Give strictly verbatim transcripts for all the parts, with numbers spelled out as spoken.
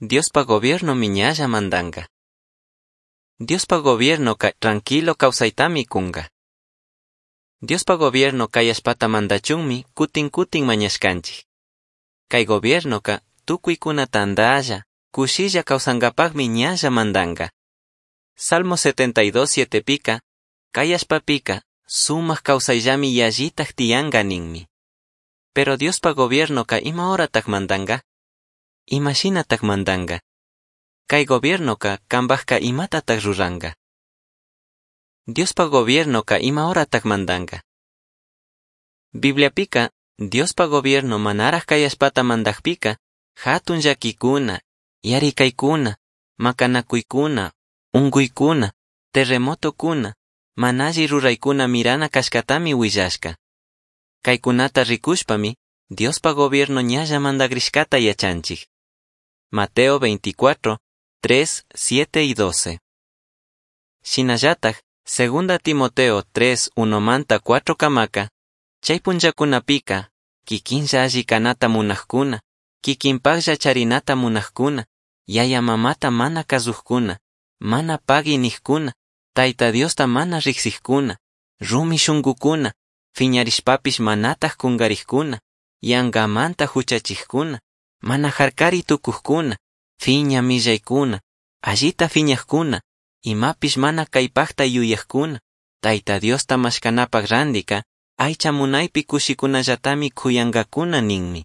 Diospaj gobiernomi ñalla mandanga. Diospaj gobiernoca tranquilo causaitami cunga. Diospaj gobierno cai allpata mandachunmi cutin cutin mañashcanchij. Cai gobiernoca tucuicuna tandalla, cushilla causangapajmi ñalla mandanga. Salmo setenta y dos sietepica, cai allpapica, sumaj causaillami yallitaj tiyanga ninmi. Pero Diospaj gobiernoca ima horataj mandanga? Ima shinataj mandanga? Cai gobiernoca cambajca imatataj ruranga? Diospaj gobiernoca ima horataj mandanga? Bibliapica, Diospaj gobierno manaraj cai allpata mandajpica, jatun llaquicuna, yaricaicuna, macanacuicuna, ungüicuna, terremotocuna, mana alli ruraicuna mirana cashcatami huillashca. Caicunata ricushpami, Diospaj gobierno ñalla mandagrishcata yachanchij. Mateo veinticuatro, tres, siete y doce. Shinallataj, Segunda Timoteo tres, uno manta cuatro camaca, chay punllakunapika, kikinlla alli kanata munajkuna, kikinpajlla charinata munajkuna, yaya mamata mana kazujkuna, mana pagui nijkuna, Tayta Diosta mana rijsijkuna, rumi shungukuna, fiñarishpapish manataj kungarijkuna, yangamanta huchachijkuna, mana jarkari tukujkuna, fiña millaykuna, allita fiñajkuna, imapish mana kaypajta yuyajkuna, Tayta Diosta mashkanapaj randika, aycha munaypi kushikunallatami kuyankakuna ninmi.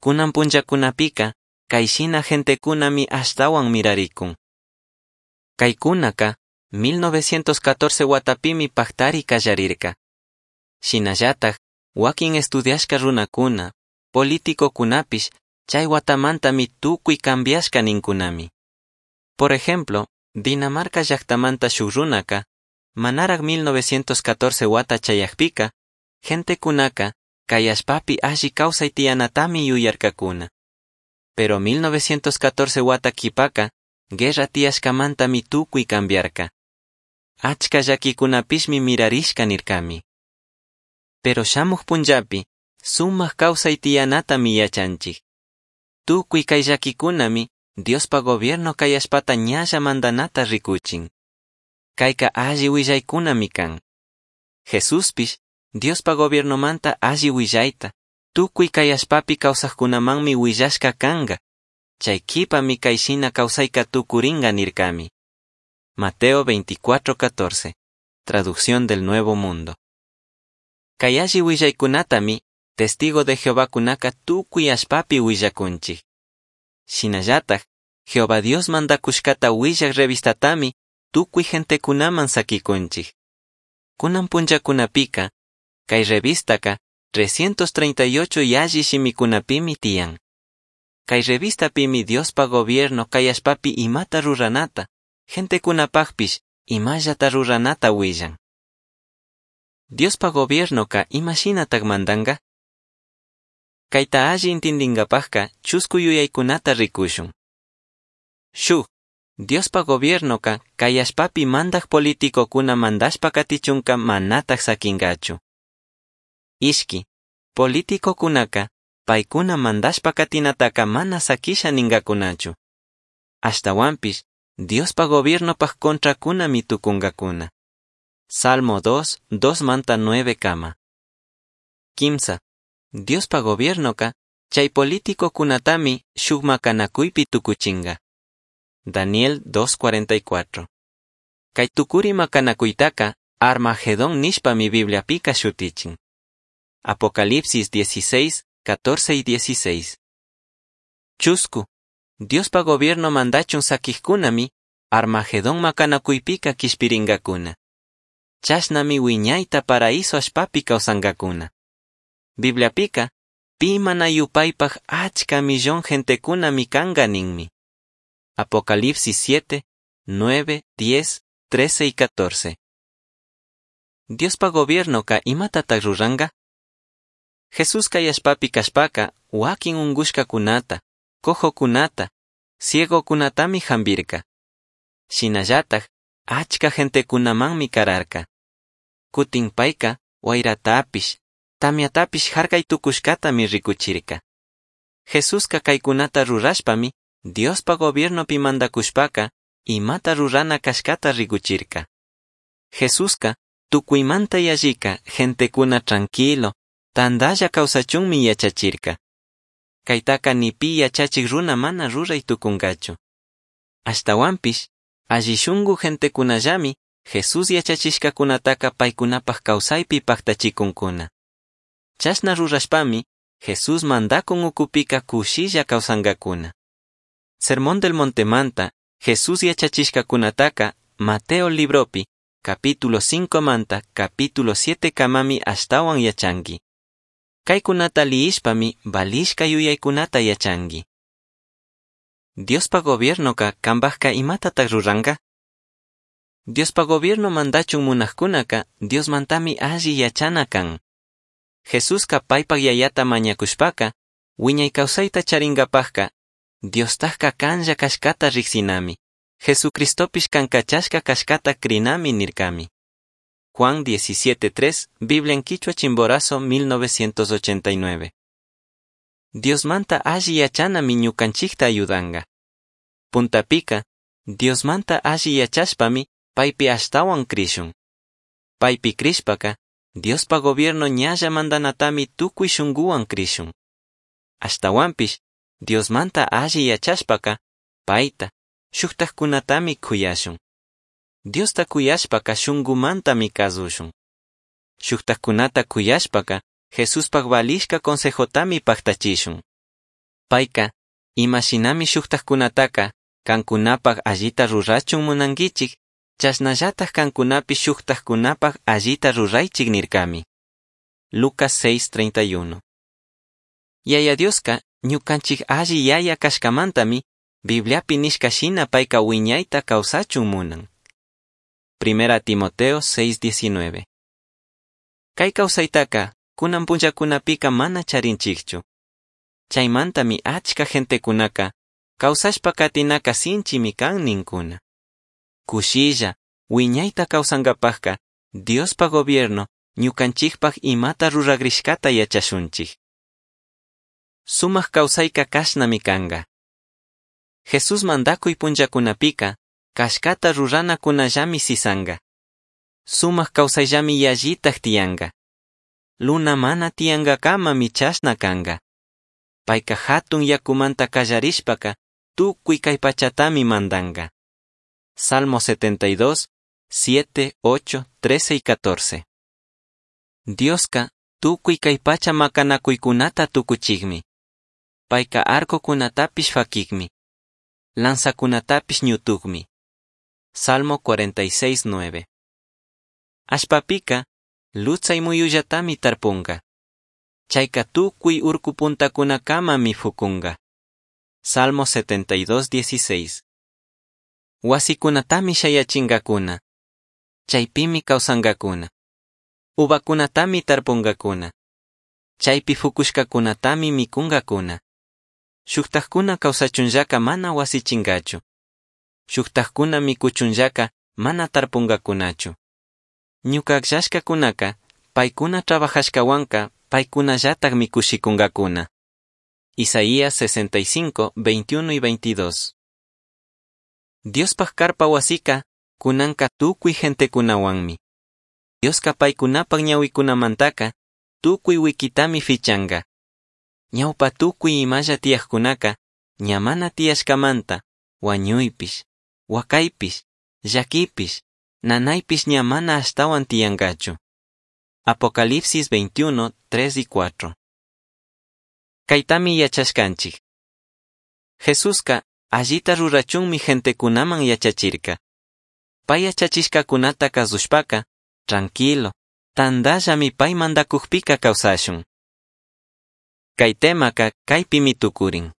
Kunan punllakunapika, kayshina gentekunami ashtawan mirarikun. Kaykunaka, mil novecientos catorce watapimi paktari kallarirka. Shinallataj, wakin estudiashka runakuna, politicokunapish, chay watamantami tukuy cambiashka ninkunami. Por ejemplo, Dinamarca llaktamanta shuk runaka, manaraj mil novecientos catorce wata chayajpika, gentekunaka, kay allpapi alli kawsay tiyanatami yuyarkakuna. Pero mil novecientos catorce wata kipaka, guerra tiyashkamantami tukuy cambiarka. Achka llakikunapishmi mirarishka nirkami. Pero shamuj punllapi, sumak kawsay tiyanatami yachanchik. Tukuy kay llakikunami, Diospa gobierno kay allpata ñalla mandanata rikuchin. Kayka alli willaykunami kan. Jesuspish, Diospa gobiernomanta alli willayta, tukuy kay allpapi kawsajkunamanmi willashka kanga. Chay kipami kayshina kawsayka tukuringa nirkami. Mateo veinticuatro catorce. Traducción del Nuevo Mundo. Kay alli willaykunatami, testigo de Jehová kunaka tukuy allpapi willakunchik. Shinallataj, Jehová Dios mandakushkata willaj revistatami tukuy gentekunaman sakikunchik. Kunan punllakunapika, kay revistaka trescientos treinta y ocho yalli shimikunapimi tiyan. Kay revistapimi Diospa gobierno kay allpapi imata ruranata, gentekunapajpish imallata ruranata willan. Diospa gobiernoka imashinataj mandanga? Kayta alli intindingapajka chusku yuyaykunata rikushun. Shuk, Diospa gobiernoka kay allpapi mandaj politikokuna mandashpa katichunka manataj sakingachu. Ishki, politikokunaka paykuna mandashpa katinataka mana sakisha ningakunachu. Ashtawanpish, Diospa gobiernopaj contrakunami tukunkakuna. Salmo dos, dos manta nueve kama. Kimsa, Diospa gobiernoka chay politikokunatami shuk makanakuypi tukuchinga. Daniel dos cuarenta y cuatro. Kay tukuri makanakuytaka Armagedón nishpami Bibliapika shutichin. Apocalipsis dieciséis, catorce y dieciséis. Chusku, Diospa gobierno mandachun sakijkunami Armagedón makanakuypika kishpiringakuna. Chashnami wiñayta paraíso allpapi kawsankakuna. Bibliapika, pi mana yupaypaj achka millón gentekunami kanka ninmi. Apocalipsis siete, nueve, diez, trece y catorce. Diospa gobiernoka imatataj ruranka? Jesús kay allpapi kashpaka wakin ungushkakunata, cojokunata, ciegokunatami jambirka. Shinallataj, achka gentekunamanmi kararka. Kutin payka wayratapish, tamyatapish harkay tukushkatami rikuchirka. Jesuska kaykunata rurashpami Diospa gobiernopi mandacushpaca imata rurana cashcata ricuchirca. Jesusca tucuimanta yallica gentecuna tranquilo, tandalla causachunmi yachachirca. Caitaca ni pi yachachij runa mana rurai tucungachu. Ashtahuanpish, alli shungu gentecunallami Jesús yachachishcacunataca paicunapaj causaipi pajtachicuncuna. Chashna rurashpami, Jesús mandacun ucupica cushilla causangacuna. Sermón del Montemanta, Jesús yachachishcacunataca, Mateo libropi, capítulo cinco manta, capítulo siete kamami ashtahuan yachanqui. Caicunata liyishpami valishca yuyaycunata yachanqui. Diospa gobiernoca cambajca imatataj ruranga? Diospa gobierno mandachun munajcunaca Diosmantami alli yachana can. Jesusca paipaj yayata mañacushpaca, wiñay causaita charingapajca, Diostajca canlla cashcata rijsinami, Jesucristopish can cachashca cashcata crinami nircami. Juan diecisiete tres, Biblia en Quichua Chimborazo mil novecientos ochenta y nueve. Diosmanta alli yachanami ñucanchikta ayudanga. Puntapika, Diosmanta alli yachashpami paipi ashtawan crishun. Paipi crishpaka, Diospa gobierno ñalla mandanatami tukuy shunguwan crishun. Ashtawanpish, Diosmanta alli yachashpaka, paita, shuktajkunatami kuyashun. Diosta kuyashpaka shungumantami kazushun. Shuktajkunata kuyashpaka, Jesuspaj valishka consejotami paktachishun. Paika, imashinami shuktajkunataka, kankunapaj allita rurachun munankichik, chashnallataj kankunapi shuktajkunapaj allita ruraychik nirkami. Lucas seis treinta y uno. Yaya Dioska, ñukanchik alli yaya kashkamantami, Bibliapi nishka shina payka wiñayta kawsachun munan. Primera Timoteo seis diecinueve. Kay kawsaytaka, kunan punllakunapika mana charinchikchu. Chaymantami achka gentekunaka, kawsashpa katinaka sinchimi kan ninkuna. Kushilla, wiñayta kawsankapajka, Diospa gobierno, ñukanchikpaj imata ruragrishkata yachashunchik. Sumak kawsayka kashnami kanga. Jesús mandakuy punllakunapika, kashkata ruranakunallami sisanga. Sumak kawsayllami yallitaj tiyanga. Luna mana tiyangakamami chashna kanga. Payka hatun yakumanta kallarishpaka, tukuy kay pachatami mandanga. Salmo setenta y dos, siete, ocho, trece y catorce. Dioska, tukuy kay pacha makanakuykunata tukuchikmi. Payka arcokunatapish fakikmi. Lanzakunatapish ñutukmi. Salmo cuarenta y seis, nueve. Ashpapika, lutsay muyullatami tarpunga. Chayka tukuy urku puntakunakamami fukunga. Salmo setenta y dos, dieciséis. Wasikunatami shayachingakuna. Chaypimi kawsangakuna. Uvakunatami tarpungakuna. Chaypi fukushkakunatami mikungakuna. Shuktajkuna kawsachunllaka mana wasichingachu. Shuktajkuna mikuchunllaka mana tarpungakunachu. Ñuka akllashkakunaka, paykuna trabajashkawanka, paykunallatak mikushikungakuna. Isaías sesenta y cinco, veintiuno y veintidós. Diospaj karpa wasika, kunanka tukuy gentekunawanmi. Dioska paykunapak ñawikunamantaka, tukuy wikitami fichanga. Ñawpa tukuy imalla tiyajkunaka, ña mana tiyashkamanta, wañuypish, wakaypish, llakipish, nanaypish ña mana ashtawan tiyangachu. Apocalipsis veintiuno, tres y cuatro. Kaytami yachashkanchik. Jesuska allita rurachunmi gentekunaman yachachirka. Pay yachachishkakunata kasushpaka, tranquilo, tandallami pay mandakukpika kawsashun. Kay temaka kaypimi tukurin.